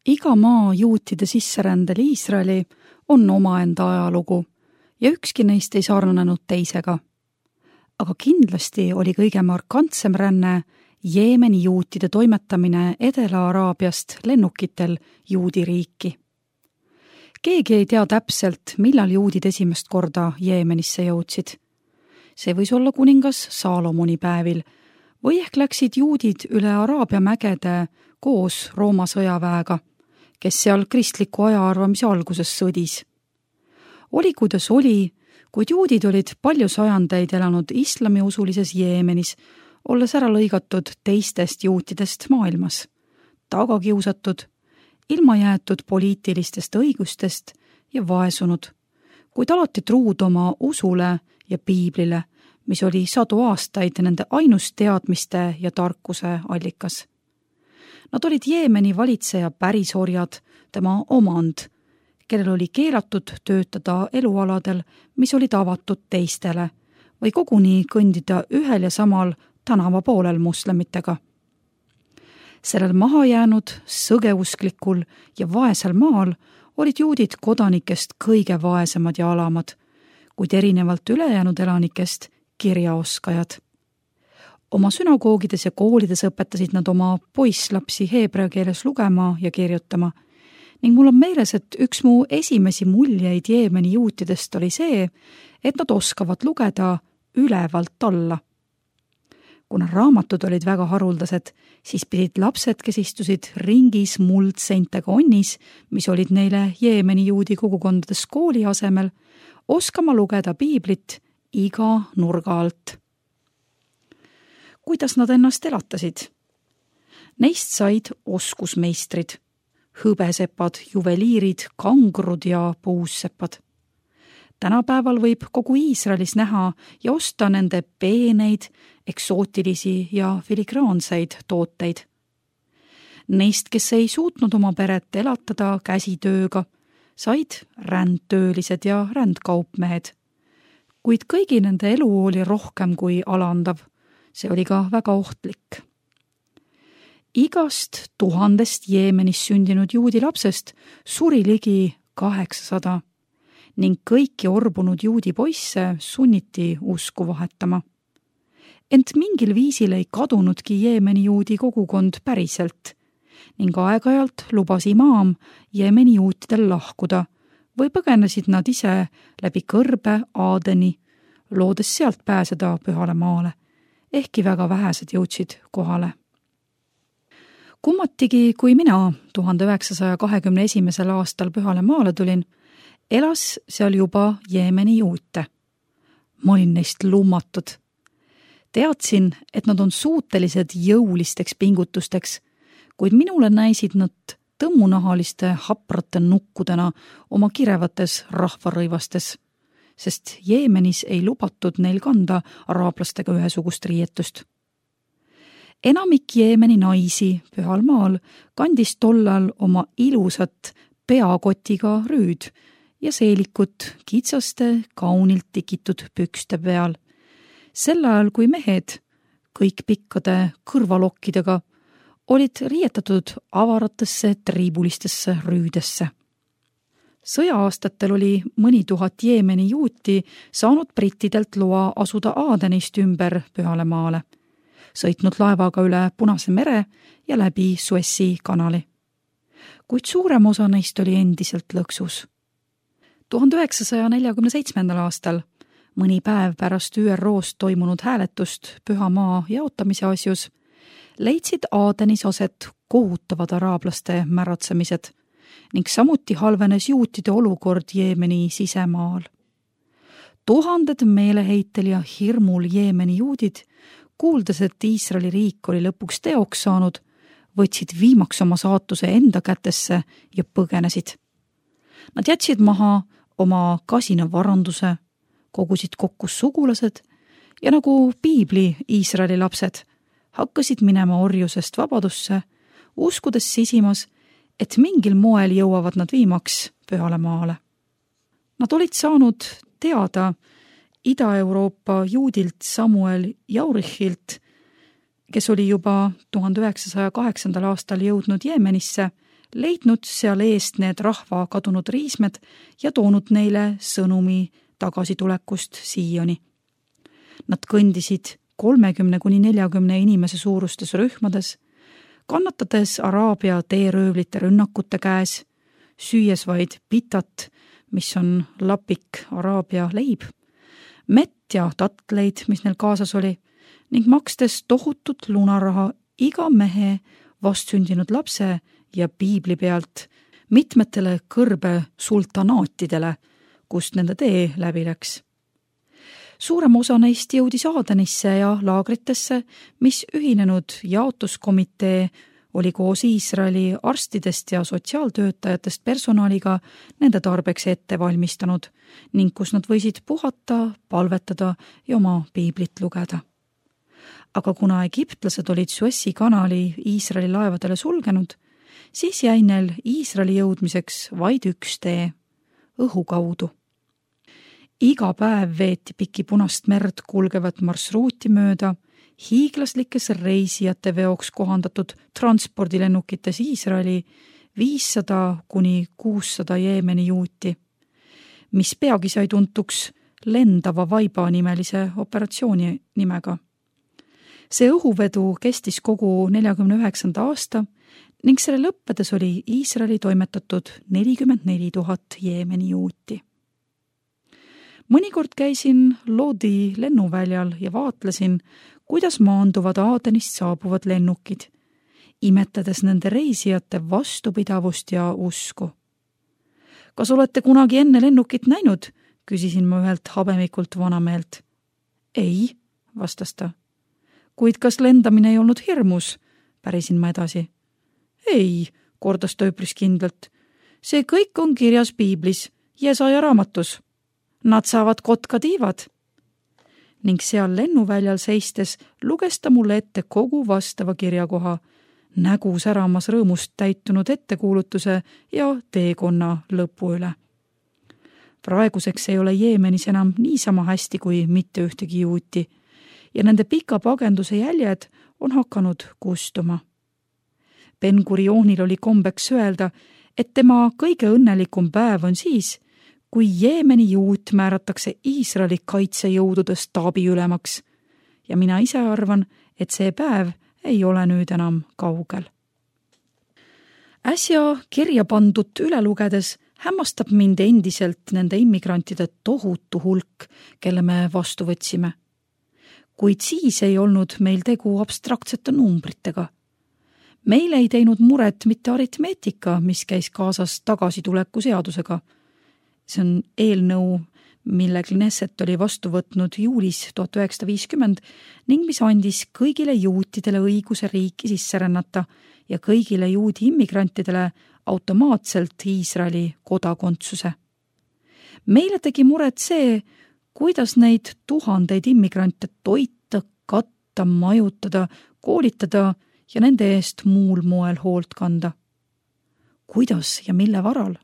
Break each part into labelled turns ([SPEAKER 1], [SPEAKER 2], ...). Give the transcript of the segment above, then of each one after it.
[SPEAKER 1] Iga maa juutide sisserändel Iisraeli on omaenda ajalugu ja ükski neist ei sarnanenud teisega. Aga kindlasti oli kõige markantsem ränne Jeemeni juutide toimetamine Edela-Araabiast lennukitel juudi riiki. Keegi ei tea täpselt, millal juudid esimest korda Jeemenisse jõudsid. See võis olla kuningas Saalomoni päevil või ehk läksid juudid üle Araabia mägede koos Rooma sõjaväega, kes seal kristliku ajaarvamise alguses sõdis. Oli kuidas oli, kuid juudid olid palju sajandeid elanud islamiusulises Jeemenis, olles ära lõigatud teistest juutidest maailmas, tagakiusatud, ilma jäetud poliitilistest õigustest ja vaesunud, kuid alati truud oma usule ja piiblile, mis oli 100 aastaid nende ainus teadmiste ja tarkuse allikas. Nad olid Jeemeni valitseja pärisorjad, tema omand, kellel oli keelatud töötada elualadel, mis olid avatud teistele, või koguni kõndida ühel ja samal tänava poolel moslemitega. Sellel mahajäänud, sõgeusklikul ja vaesel maal olid juudid kodanikest kõige vaesemad ja alamad, kuid erinevalt ülejäänud elanikest kirjaoskajad. Oma sünagoogides ja koolides õpetasid nad oma poisslapsi heebrea keeles lugema ja kirjutama, ning mul on meeles, et üks mu esimesi muljeid Jeemeni juutidest oli see, et nad oskavad lugeda ülevalt alla. Kuna raamatud olid väga haruldased, siis pidid lapsed, kes istusid ringis muldseintega onnis, mis olid neile Jeemeni juudi kogukondades kooli asemel, oskama lugeda piiblit iga nurga alt. Kuidas nad ennast elatasid? Neist said oskusmeistrid, hõbesepad, juveliirid, kangrud ja puussepad. Tänapäeval võib kogu Iisraelis näha ja osta nende peeneid, eksootilisi ja filigraanseid tooteid. Neist, kes ei suutnud oma peret elatada käsitööga, said rändtöölised ja rändkaupmehed. Kuid kõigi nende elu oli rohkem kui alandav. See oli ka väga ohtlik. Igast 1000 Jeemenis sündinud juudi lapsest suri ligi 800 ning kõiki orbunud juudi poisse sunniti usku vahetama. Ent mingil viisil ei kadunudki Jeemeni juudi kogukond päriselt ning aeg-ajalt lubas imaam Jeemeni juutidel lahkuda või põgenesid nad ise läbi kõrbe Aadeni, loodes sealt pääseda pühale maale, ehkki väga vähesed jõudsid kohale. Kummatigi, kui mina 1921. aastal pühale maale tulin, elas seal juba Jeemeni juute. Ma olin neist lummatud. Teadsin, et nad on suutelised jõulisteks pingutusteks, kuid minule näisid nad tõmmunahaliste haprate nukkudena oma kirevates rahvarõivastes, sest Jeemenis ei lubatud neil kanda araablastega ühesugust riietust. Enamik Jeemeni naisi pühal maal kandis tollal oma ilusat peakotiga rüüd ja seelikut kitsaste, kaunilt tikitud pükste peal. Sel ajal, kui mehed, kõik pikkade kõrvalokkidega, olid riietatud avaratesse triibulistesse rüüdesse. Sõja-aastatel oli mõni tuhat Jeemeni juuti saanud brittidelt loa asuda Aadenist ümber pühale maale, sõitnud laevaga üle Punase mere ja läbi Suessi kanali. Kuid suurem osa neist oli endiselt lõksus. 1947. aastal, mõni päev pärast ÜROs toimunud hääletust püha maa jaotamise asjus, leidsid Aadenis aset kohutavad araablaste märatsemised ning samuti halvenes juutide olukord Jeemeni sisemaal. Tuhanded meeleheitel ja hirmul Jeemeni juudid, kuuldes, et Iisraeli riik oli lõpuks teoks saanud, võtsid viimaks oma saatuse enda kätesse ja põgenesid. Nad jätsid maha oma kasina varanduse, kogusid kokku sugulased ja nagu piibli Iisraeli lapsed hakkasid minema orjusest vabadusse, uskudes sisimas, et mingil moel jõuavad nad viimaks pühale maale. Nad olid saanud teada Ida-Euroopa juudilt Samuel Jaurichilt, kes oli juba 1908. aastal jõudnud Jeemenisse, leidnud seal eest need rahva kadunud riismed ja toonud neile sõnumi tagasitulekust Sioni. Nad kõndisid 30–40 inimese suurustes rühmades, kannatades Araabia teeröövlite rünnakute käes, süües vaid pitat, mis on lapik Araabia leib, mett ja tatleid, mis neil kaasas oli, ning makstes tohutut lunaraha iga mehe, vastsündinud lapse ja piibli pealt mitmetele kõrbe sultanaatidele, kust nende tee läbi läks. Suurem osa neist jõudis Aadenisse ja laagritesse, mis ühinenud jaotuskomitee oli koos Iisraeli arstidest ja sotsiaaltöötajatest personaliga nende tarbeks ette valmistanud ning kus nad võisid puhata, palvetada ja oma piiblit lugeda. Aga kuna egiptlased olid Suessi kanali Iisraeli laevadele sulgenud, siis jäi neil Iisraeli jõudmiseks vaid üks tee, õhu kaudu. Iga päev veeti piki Punast merd kulgevat marsruuti mööda hiiglaslikes reisijate veoks kohandatud transpordilennukites Iisraeli 500–600 Jeemeni juuti, mis peagi sai tuntuks lendava vaiba nimelise operatsiooni nimega. See õhuvedu kestis kogu 49. aasta ning selle lõppedes oli Iisraeli toimetatud 44 000 Jeemeni juuti. Mõnikord käisin Lodi lennuväljal ja vaatlesin, kuidas maanduvad Aadenist saabuvad lennukid, imetades nende reisijate vastupidavust ja usku. Kas olete kunagi enne lennukit näinud? Küsisin ma ühelt habemikult vanameelt. Ei, vastas ta. Kuid kas lendamine ei olnud hirmus? Pärisin ma edasi. Ei, kordas ta üpris kindlalt. See kõik on kirjas piiblis, Jesaja raamatus. Nad saavad kotkatiivad. Ning seal lennuväljal seistes luges ta mulle ette kogu vastava kirjakoha, nägu säramas rõõmust täitunud ettekuulutuse ja teekonna lõpu üle. Praeguseks ei ole Jeemenis enam niisama hästi kui mitte ühtegi juuti ja nende pika pagenduse jäljed on hakanud kustuma. Ben Gurionil oli kombeks öelda, et tema kõige õnnelikum päev on siis, kui Jeemeni juut määratakse Iisraeli kaitsejõudude staabiülemaks ja mina ise arvan, et see päev ei ole nüüd enam kaugel. Äsja kirja pandud üle lugedes hämmastab mind endiselt nende immigrantide tohutu hulk, kelle me vastu võtsime. Kuid siis ei olnud meil tegu abstraktsete numbritega. Meil ei teinud muret mitte aritmeetika, mis käis kaasas tagasituleku seadusega. See on eelnõu, mille Knesset oli vastu võtnud juulis 1950 ning mis andis kõigile juutidele õiguse riiki sisse rännata ja kõigile juudi immigrantidele automaatselt Iisraeli kodakondsuse. Meile tegi muret see, kuidas neid tuhandeid immigrante toita, katta, majutada, koolitada ja nende eest muul moel hoolt kanda. Kuidas ja mille varal?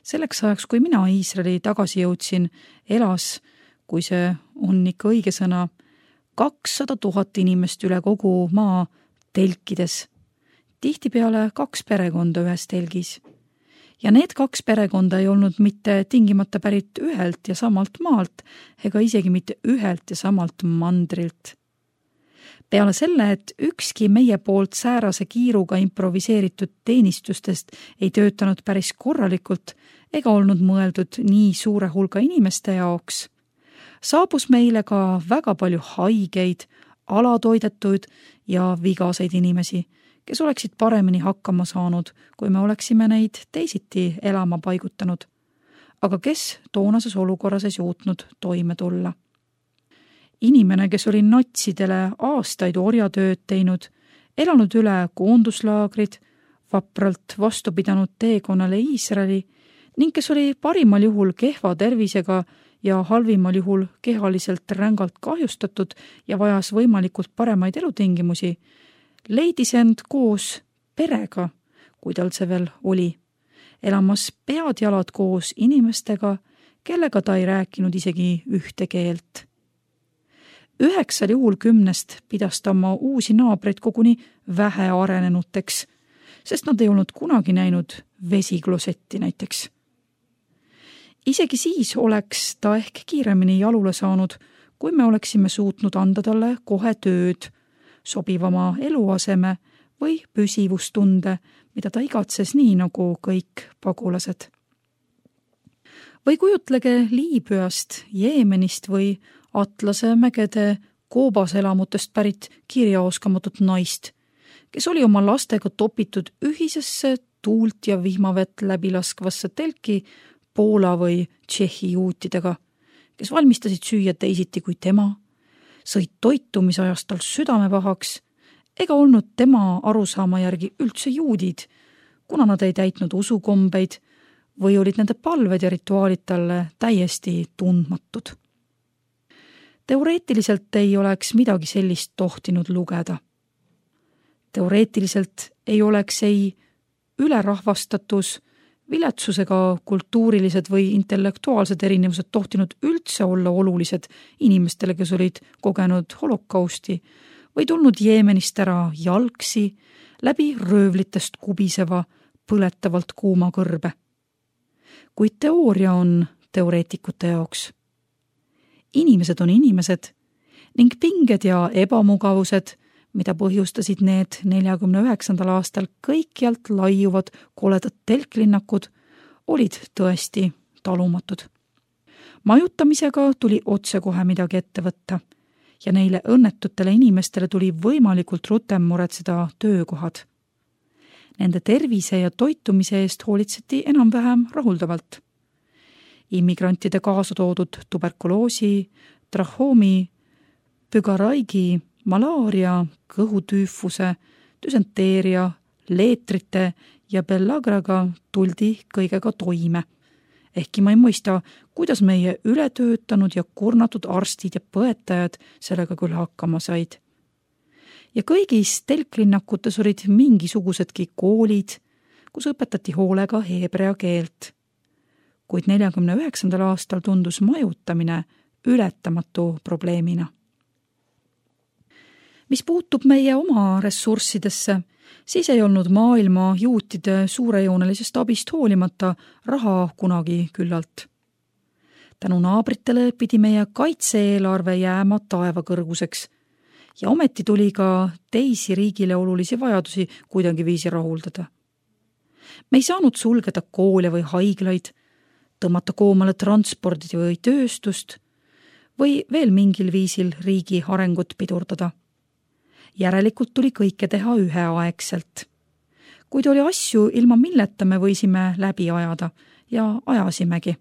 [SPEAKER 1] Selleks ajaks, kui mina Iisraeli tagasi jõudsin, elas, kui see on ikka õige sõna, 200 000 inimest üle kogu maa telkides. Tihtipeale 2 perekonda ühes telgis. Ja need 2 perekonda ei olnud mitte tingimata pärit ühelt ja samalt maalt ega isegi mitte ühelt ja samalt mandrilt. Peale selle, et ükski meie poolt säärase kiiruga improviseeritud teenistustest ei töötanud päris korralikult ega olnud mõeldud nii suure hulga inimeste jaoks, saabus meile ka väga palju haigeid, alatoidetuid ja vigaseid inimesi, kes oleksid paremini hakkama saanud, kui me oleksime neid teisiti elama paigutanud, aga kes toonases olukorras ei suutnud toime tulla. Inimene, kes oli natsidele aastaid orjatööd teinud, elanud üle koonduslaagrid, vapralt vastu pidanud teekonnale Iisraeli ning kes oli parimal juhul kehva tervisega ja halvimal juhul kehaliselt rängalt kahjustatud ja vajas võimalikult paremaid elutingimusi, leidis end koos perega, kui tal see veel oli, elamas pead-jalad koos inimestega, kellega ta ei rääkinud isegi ühte keelt. 9 juhul 10 pidas ta oma uusi naabreid koguni vähearenenuteks, sest nad ei olnud kunagi näinud vesiklosetti näiteks. Isegi siis oleks ta ehk kiiremini jalule saanud, kui me oleksime suutnud anda talle kohe tööd, sobivama eluaseme või püsivustunde, mida ta igatses nii nagu kõik pagulased. Või kujutlege Liibüast, Jeemenist või Atlase mägede koobaselamutest pärit kirjaoskamatut naist, kes oli oma lastega topitud ühisesse tuult ja vihmavett läbilaskvasse telki Poola või Tšehhi juutidega, kes valmistasid süüa teisiti kui tema, sõid toitu, mis ajas tal südame pahaks, ega olnud tema arusaama järgi üldse juudid, kuna nad ei täitnud usukombeid või olid nende palved ja rituaalid talle täiesti tundmatud. Teoreetiliselt ei oleks midagi sellist tohtinud lugeda. Teoreetiliselt ei oleks ei ülerahvastatus, viletsusega kultuurilised või intellektuaalsed erinevused tohtinud üldse olla olulised inimestele, kes olid kogenud holokausti või tulnud Jeemenist ära jalgsi läbi röövlitest kubiseva põletavalt kuuma kõrbe. Kuid teooria on teoreetikute jaoks. Inimesed on inimesed ning pinged ja ebamugavused, mida põhjustasid need 49. aastal kõikjalt laiuvad koledad telklinnakud, olid tõesti talumatud. Majutamisega tuli otsekohe midagi ette võtta ja neile õnnetutele inimestele tuli võimalikult rutem muretseda töökohad. Nende tervise ja toitumise eest hoolitseti enam-vähem rahuldavalt. Immigrantide kaasa toodud tuberkuloosi, trahoomi, pügaraigi, malaaria, kõhutüüfuse, düsenteeria, leetrite ja bellagraga tuldi kõigega toime. Ehkki ma ei mõista, kuidas meie ületöötanud ja kurnatud arstid ja põetajad sellega küll hakkama said. Ja kõigis telklinnakutes olid mingisugusedki koolid, kus õpetati hoolega heebrea keelt. Kuid 49. aastal tundus majutamine ületamatu probleemina. Mis puutub meie oma ressurssidesse, siis ei olnud maailma juutide suurejoonelisest abist hoolimata raha kunagi küllalt. Tänu naabritele pidi meie kaitse-eelarve jääma taevakõrguseks ja ometi tuli ka teisi riigile olulisi vajadusi kuidagi viisi rahuldada. Me ei saanud sulgeda koole või haiglaid, tõmmata koomale transpordi või tööstust või veel mingil viisil riigi arengut pidurdada. Järelikult tuli kõike teha üheaegselt. Kuid oli asju, ilma milleta me võisime läbi ajada ja ajasimegi.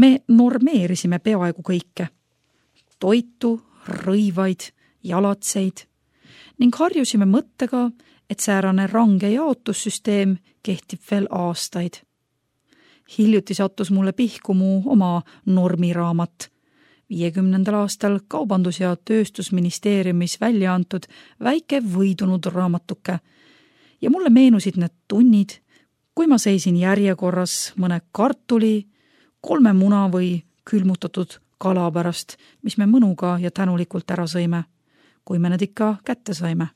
[SPEAKER 1] Me normeerisime peaaegu kõike. Toitu, rõivaid, jalatseid ning harjusime mõttega, et säärane range jaotussüsteem kehtib veel aastaid. Hiljuti sattus mulle pihku mu oma normiraamat, 50. aastal Kaubandus- ja Tööstusministeeriumis välja antud väike võidunud raamatuke ja mulle meenusid need tunnid, kui ma seisin järjekorras mõne kartuli, 3 muna või külmutatud kala pärast, mis me mõnuga ja tänulikult ära sõime, kui me need ikka kätte saime.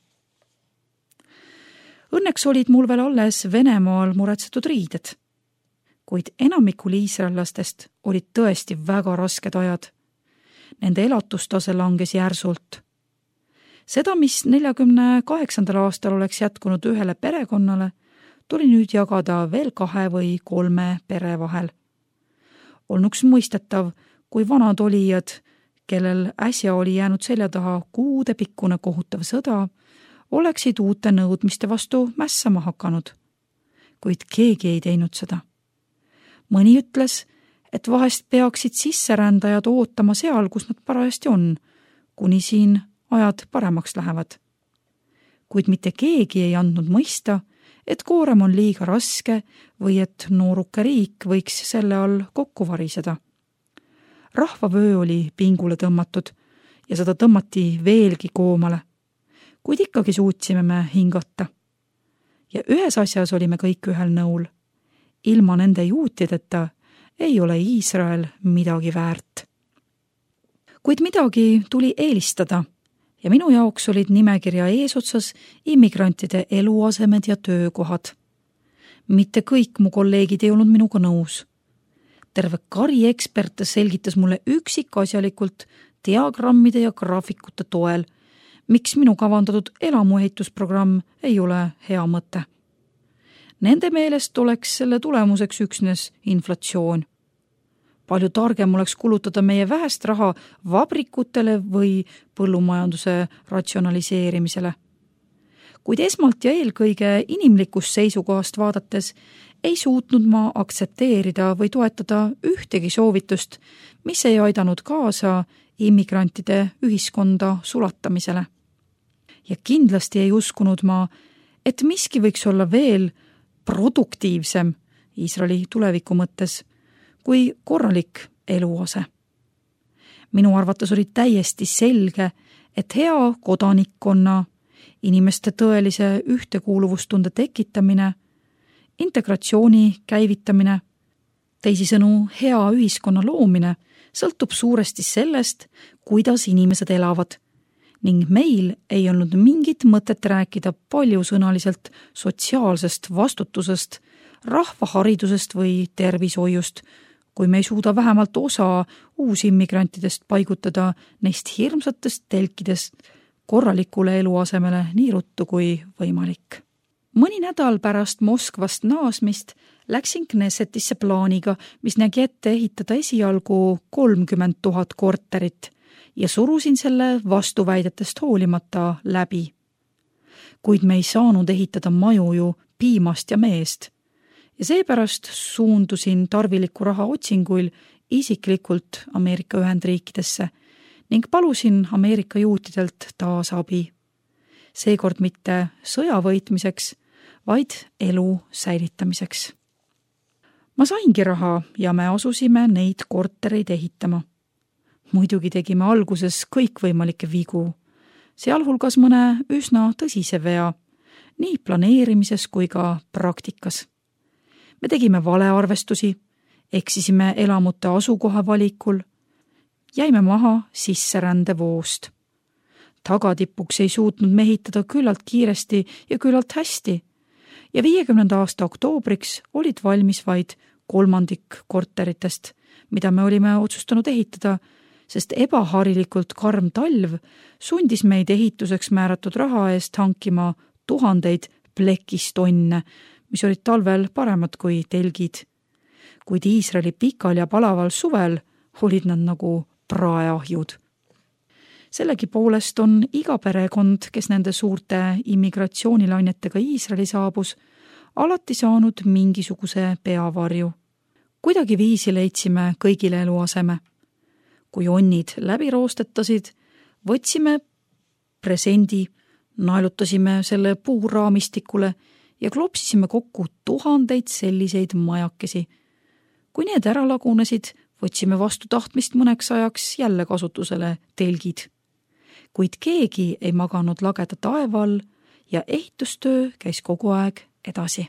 [SPEAKER 1] Õnneks olid mul veel alles Venemaal muretsetud riided, kuid enamikul iisraellastest olid tõesti väga rasked ajad. Nende elatustase langes järsult. Seda, mis 48. aastal oleks jätkunud ühele perekonnale, tuli nüüd jagada veel 2 või 3 pere vahel. Olnuks mõistetav, kui vanad olijad, kellel äsja oli jäänud selja taha kuudepikkune kohutav sõda, oleksid uute nõudmiste vastu mässama hakanud. Kuid keegi ei teinud seda. Mõni ütles, et vahest peaksid sisserändajad ootama seal, kus nad parajasti on, kuni siin ajad paremaks lähevad. Kuid mitte keegi ei andnud mõista, et koorem on liiga raske või et nooruke riik võiks selle all kokku variseda. Rahvavöö oli pingule tõmmatud ja seda tõmmati veelgi koomale, kuid ikkagi suutsime me hingata. Ja ühes asjas olime kõik ühel nõul. Ilma nende juutideta ei ole Iisrael midagi väärt. Kuid midagi tuli eelistada ja minu jaoks olid nimekirja eesotsas immigrantide eluasemed ja töökohad. Mitte kõik mu kolleegid ei olnud minuga nõus. Terve kari eksperte selgitas mulle üksikasjalikult diagrammide ja graafikute toel, miks minu kavandatud elamuehitusprogramm ei ole hea mõte. Nende meelest oleks selle tulemuseks üksnes inflatsioon. Palju targem oleks kulutada meie vähest raha vabrikutele või põllumajanduse ratsionaliseerimisele. Kuid esmalt ja eelkõige inimlikust seisukohast vaadates ei suutnud ma aktsepteerida või toetada ühtegi soovitust, mis ei aidanud kaasa immigrantide ühiskonda sulatamisele. Ja kindlasti ei uskunud ma, et miski võiks olla veel produktiivsem Iisraeli tuleviku mõttes kui korralik eluase. Minu arvates oli täiesti selge, et hea kodanikkonna, inimeste tõelise ühtekuuluvustunde tekitamine, integratsiooni käivitamine, teisisõnu hea ühiskonna loomine sõltub suuresti sellest, kuidas inimesed elavad, ning meil ei olnud mingit mõtet rääkida paljusõnaliselt sotsiaalsest vastutusest, rahvaharidusest või tervishoiust, kui me ei suuda vähemalt osa uusimmigrantidest paigutada neist hirmsatest telkidest korralikule eluasemele nii ruttu kui võimalik. Mõni nädal pärast Moskvast naasmist läksin Knessetisse plaaniga, mis nägi ette ehitada esialgu 30 000 korterit ja surusin selle vastuväidetest hoolimata läbi. Kuid me ei saanud ehitada maju ju piimast ja meest ja seepärast suundusin tarviliku raha otsinguil isiklikult Ameerika Ühendriikidesse ning palusin Ameerika juutidelt taas abi. Seekord mitte sõja võitmiseks, vaid elu säilitamiseks. Ma saingi raha ja me asusime neid kortereid ehitama. Muidugi tegime alguses kõikvõimalikke vigu, sealhulgas mõne üsna tõsise vea, nii planeerimises kui ka praktikas. Me tegime valearvestusi, eksisime elamute asukoha valikul, jäime maha sisserändevoost. Tagatipuks ei suutnud mehitada küllalt kiiresti ja küllalt hästi ja 50. aasta oktoobriks olid valmis vaid 1/3 korteritest, mida me olime otsustanud ehitada, sest ebaharilikult karm talv sundis meid ehituseks määratud raha eest hankima tuhandeid plekistonne, mis olid talvel paremad kui telgid. Kuid Iisraeli pikal ja palaval suvel olid nad nagu praeahjud. Sellegipoolest on iga perekond, kes nende suurte immigratsioonilainetega Iisraeli saabus, alati saanud mingisuguse peavarju. Kuidagi viisi leidsime kõigile eluaseme. Kui onnid läbi roostetasid, võtsime presendi, naelutasime selle puuraamistikule ja klopsisime kokku tuhandeid selliseid majakesi. Kui need ära lagunesid, võtsime vastu tahtmist mõneks ajaks jälle kasutusele telgid. Kuid keegi ei maganud lageda taeva all ja ehitustöö käis kogu aeg edasi.